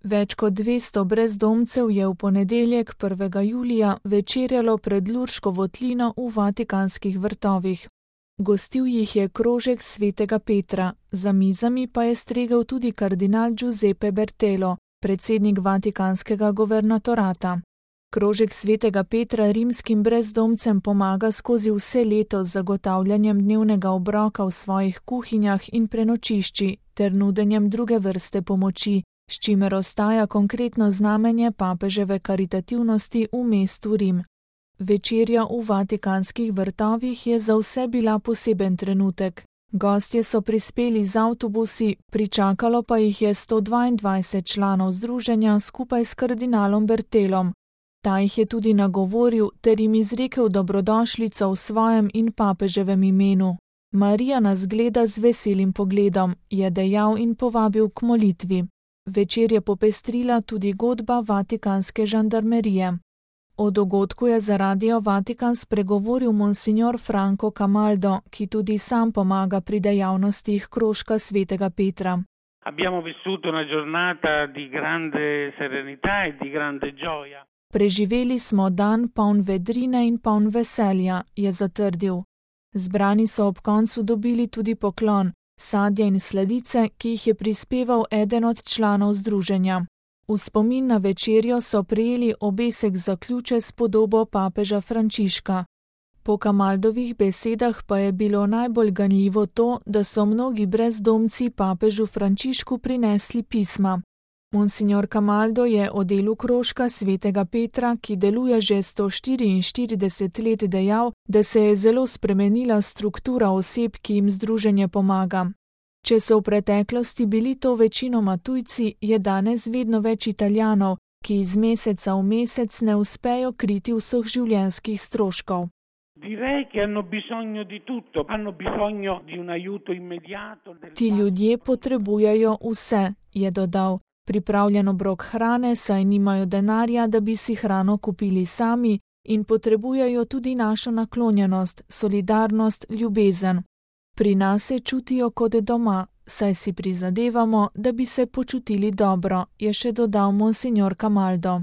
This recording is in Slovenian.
Več kot 200 brezdomcev je v ponedeljek 1. julija večerjalo pred Lurško votlino v Vatikanskih vrtovih. Gostil jih je krožek svetega Petra, za mizami pa je stregel tudi kardinal Giuseppe Bertelo, predsednik Vatikanskega guvernatorata. Krožek svetega Petra rimskim brezdomcem pomaga skozi vse leto z zagotavljanjem dnevnega obroka v svojih kuhinjah in prenočišči ter nudenjem druge vrste pomoči, s čimer ostaja konkretno znamenje papeževe karitativnosti v mestu Rim. Večerja v Vatikanskih vrtovih je za vse bila poseben trenutek. Gostje so prispeli z avtobusi, pričakalo pa jih je 122 članov združenja skupaj s kardinalom Bertelom. Ta jih je tudi nagovoril ter jim izrekel dobrodošlico v svojem in papeževem imenu. Marija nas gleda z veselim pogledom, je dejal in povabil k molitvi. Večer je popestrila tudi godba Vatikanske žandarmerije. O dogodku je za Radio Vatikan spregovoril monsignor Franco Camaldo, ki tudi sam pomaga pri dejavnostih krožka svetega Petra. Abbiamo vissuto una giornata di grande serenità e di grande gioia. Preživeli smo dan poln vedrine in poln veselja, je zatrdil. Zbrani so ob koncu dobili tudi poklon, sadje in sladice, ki jih je prispeval eden od članov združenja. V spomin na večerjo so prejeli obesek za ključe s podobo papeža Frančiška. Po Camaldovih besedah pa je bilo najbolj ganljivo to, da so mnogi brezdomci papežu Frančišku prinesli pisma. Monsignor Camaldo je o delu krožka svetega Petra, ki deluje že 144 let, dejal, da se je zelo spremenila struktura oseb, ki jim združenje pomaga. Če so v preteklosti bili to večinoma tujci, je danes vedno več Italijanov, ki iz meseca v mesec ne uspejo kriti vseh življenjskih stroškov. Ti ljudje potrebujejo vse, je dodal. Pripravljen obrok hrane, saj nimajo denarja, da bi si hrano kupili sami, in potrebujejo tudi našo naklonjenost, solidarnost, ljubezen. Pri nas se čutijo kot doma, saj si prizadevamo, da bi se počutili dobro, je še dodal monsignor Camaldo.